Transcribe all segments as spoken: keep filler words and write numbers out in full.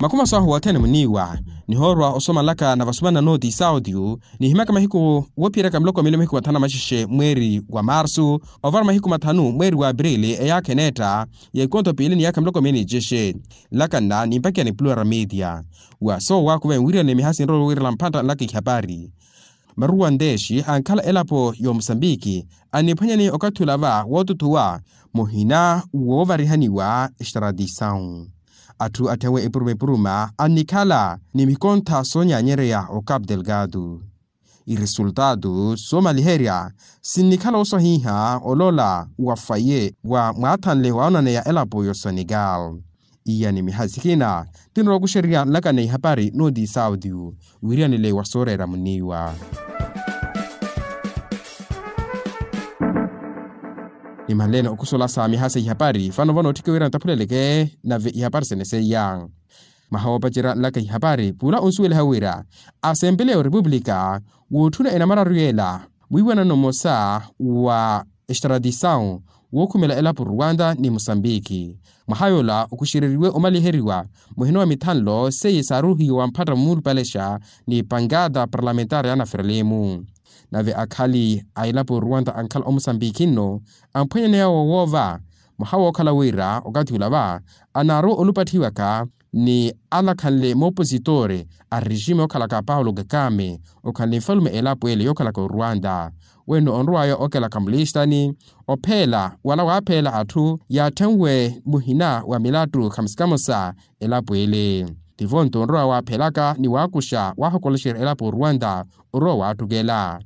Makumi aso ahu wothene muniiwa nihoorwa osomalaka na vasumana nooti sautiyu nihimaka mahiku woophiyeraka miloko mili mahiku mathanu na maxexe mweeri wa marsu, ovara mahiku mathanu mweeri wa aprili eyaakha eneetta ya ikonto piili ni yaakha miloko mili ni cexe. Nlakanna nimpakiya ni plural media wa soowakuva enwiriyane mihaasi nrowe wiirela mphantta nlaka ihapari. Maruwa nteexi ankhala elapo y'omusambiki aniphwanyani okathi ula va wootuthuwa muhina woovarihaniwa extradisawu. Atthu atthenwe epuruma epuruma annikhala ni mikontha soonyanyereya o capu delgado. Iresultaatu soomaliherya sinnikhala oswahiha olola wa faye wa mwaathanle waawonaneya elapo y'osenegal. Iya ni mihaasi kina tinrowa okuxererya nlaka na ihapari nooti sautiyu wiriyanile wa sooreera muniiwa. Nimanleene okusola sa mihaasi ihapari fano vano otthike wira nitaphuleleke nave ihapari sene seiya. Mwaha woopacerya nlaka ihapari pula onsuweliha wira asempeleya orepupulika wootthuna enamararu yeela mwiiwanano mmosa wa extradisawu wookhumela elapo ruwanda ni musambiki. Mwaha yoola okuxereriwe omaliheriwa muhina wa mithanlo seiye saaruhiwa wa mphatta mumulupalexa ni pankata parlamentari ya naferelimu. Nave akhali a elapo ruwanda ankhala omusambiki nno amphwanyaneya wowoova mwaha wookhala wira okathi ula va anaarowa olupathiwaka ni alakhanle moopositore a rejime okhalaka paulo kakame okhanle nfalume elapo ele yookhalaka oruwanda. Wenno onrowaya okelaka mulistani opheela wala waapheela atthu yaathenwe muhina wa milattu khamusi kamosa elapo ele. Tivo nto onrowa waapheelaka ni waakuxa waahokolexerya elapo oruwanda orowa waattukela.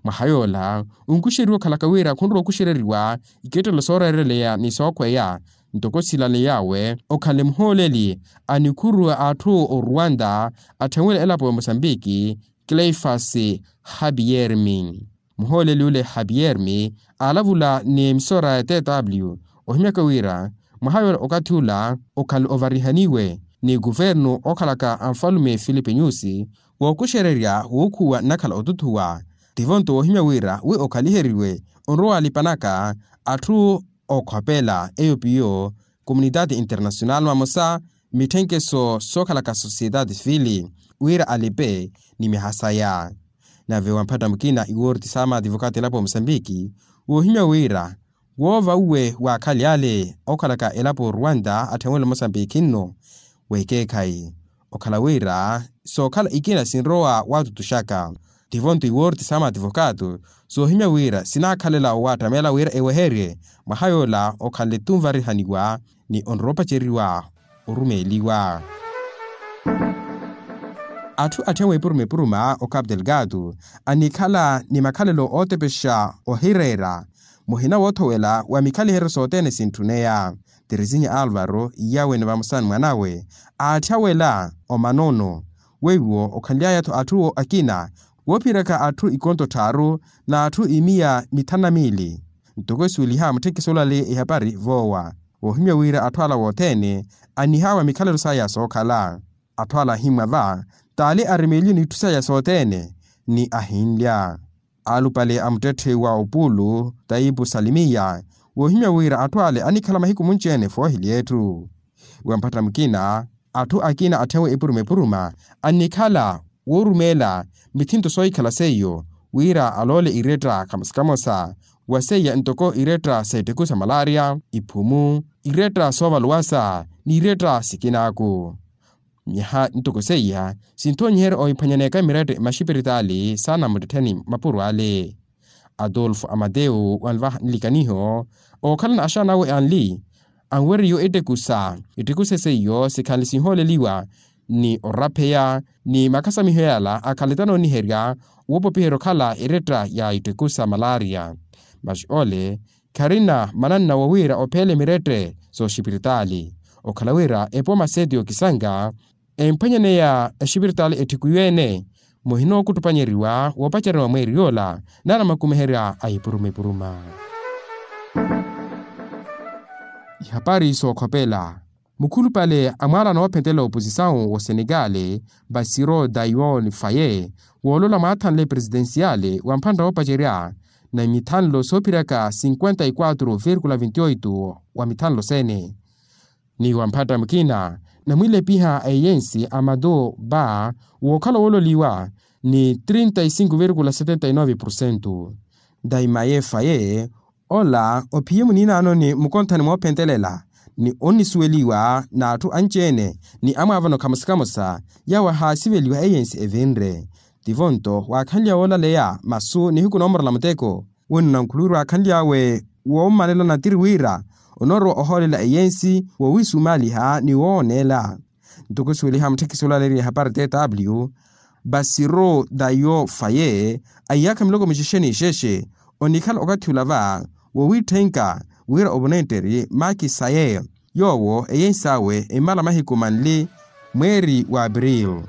Mwaha yoola onkuxeriwa okhalaka wira khunrowa okuxereriwa ikettelo sooreereleya ni sookhweya ntoko silaley'awe okhanle muhooleli a nikhuruwa atthu oruwanda atthenwele elapo ya mosambiki cleifas habiyermi. Muhooleli ole habiyermi aalavula ni emisora ya tw ohimyaka wira mwaha yoola okathi ula okhanle ovarihaniwe ni kuvernu okhalaka a nfalume filipe nyusi wookuxererya wuukhuwa nnakhala otuthuwa. Tivo nto woohimya wira wi okhaliheriwe onrowa waalipanaka atthu okhopela eyo piyo komunitaati internasional mamosa mitthenkeso sookhalaka sosiyetaati fili wira alipe ni miha saya. Nave wamphatta mukina iwoorti saama ativokaati elapo ya mosambiki woohimya wira woova uwe waakhali ale okhalaka elapo oruwanda atthenwele mosambiki nno weekeekhayi okhala wira sookhala ikina sinrowa waatutuxaka. Tivo nto iwoorti saama ativokaatu soohimya wira sinaakhalela owaattamela wira eweherye mwaha yoola okhanle tunvarihaniwa ni onroopaceriwa orumeeliwa. Atthu atthenwe epuruma epuruma o capu delgado annikhala ni makhalelo ootepexa ohireera muhina woothowela wa mikhaliheryo sothene sintthuneya. Teresinha alvaro iyawe ni vamosa ni mwanawe aatthya wela omanono weiwo okhanly'aya-tho atthu akina woophiyeraka atthu ikonto tthaaru n'atthu imiya mithanu na miili. Ntoko esuweliha mutthekiso olale ehapari voowa woohimya wira atthu ala wothene annihawa mikhalelo saya sookhala. Atthu ala ahimmwa va t'ale aremeeliwe n'itthu saya sothene ni ahinlya. Alupale a muttetthe wa opulu taipu salimiya woohimya wira atthu ale annikhala mahiku munci-ene foohili etthu. Wamphatta mukina atthu akina atthenwe epuruma epuruma annikhala woorumeela mithinto soohikhala seiyo wira aloole iretta kamosa kamosa wa seiya ntoko iretta s'ettiku sa malaria iphumu iretta soovaluwasa n'iretta sikinaaku. Nyaha ntoko seiya sinthoonyiherya ohiphwanyaneeka mirette maxipiritaali saana muttettheni mapuro ale. Adolfo amateu wanvaha nlikaniho ookhalana axaana awe anli anweriwe ettekusa ettekusa seiyo sikhanle sinhooleliwa ni orapheya ni makasamiho yala akhanle tanooniherya woopopiherya okhala eretta ya ettekusa malaria. Maxi ole kharina mananna wowira opheele mirette sooxipiritaali okhala wira epooma seeti yookisanka emphwanyaneya exipiritaali ettiku iwe-ene muhina ookuttupanyeriwa woopacerya wa mweeri yoola nari amakumiherya a ipuruma ipuruma. Ihapari sookhopela mukhulupale a mwaalano woophentela oposisawu w'osenegale basiro daion faye woolola mwaathanle presidensiyale wa mphantta woopacerya na mithanlo soophiryaka cinquenta y quatro virgula vinte y oito wa mithanlo sene ni wa mphantta mukina namwilepiha a eyensi a matu va wookhala woololiwa ni trinta e cinco virgula setenta e nove porcento. Daimaye faye ola ophiye muniinaanoni mukonthani moophentelela ni onnisuweliwa n'atthu anci-ene ni amwaavano khamosa khamosa yaawo ahaasiveliwa eyensi evinre. Tivo nto waakhanlya woolaleya masu nihiku noomorola muteko wino nankhuluwiru aakhanly'awe woommanela natiri wira onoorowa ohoolela eyensi wowiisumaaliha ni wooneela. Ntoko suweliha mutthekisi olaleeriye hapari tw basiro dayo faye aiyaakha miloko mixexe n'ixexe onikhala okathi ula va wowiitthenka wira ovonetteri makisaye yoowo eyensi awe emmala mahiku manli mweeri wa april.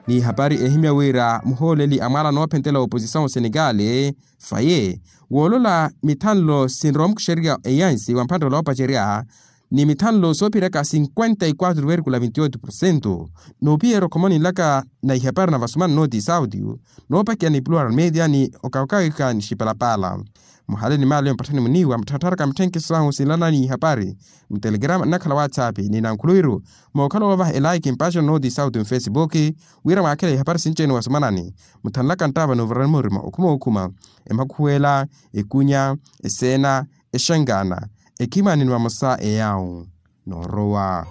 Ni hapari ehimya wira muhooleli a mwaala noophentela oposisyon osenekali faye woolola mithanlo sinrowa mukuxeriya eyansi wa mphanttelo oopacerya ni mithanlo soophiraka cinquenta e quatro virgula vinte e oito porcento. Noopiyeerya okhomoni nlaka na ihapari na vasumana nooti sauti noopakiya ni plural media ni okawakawika ni xipalapala. Muhale ni maali mpatthani muniiwa mutthattharaka mitthenkiso ahu sinlana ni ihapari mutelegrama nnakhala whatsapp ni nankhuluwiru mookhala woovaha elaiki mpaaxano nooti sauti mfesibuki wira mwaakhela ihapari sinci-ene wasumanani. Mutthanlaka nttaava n'uvarani murima okhuma okhuma emakhuwela ekunya eseena exangana ekhimani ni vamosa eyawu noorowa.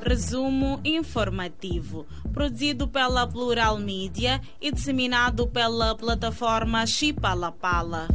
Resumo informativo, produzido pela Plural Media e disseminado pela plataforma Chipalapala.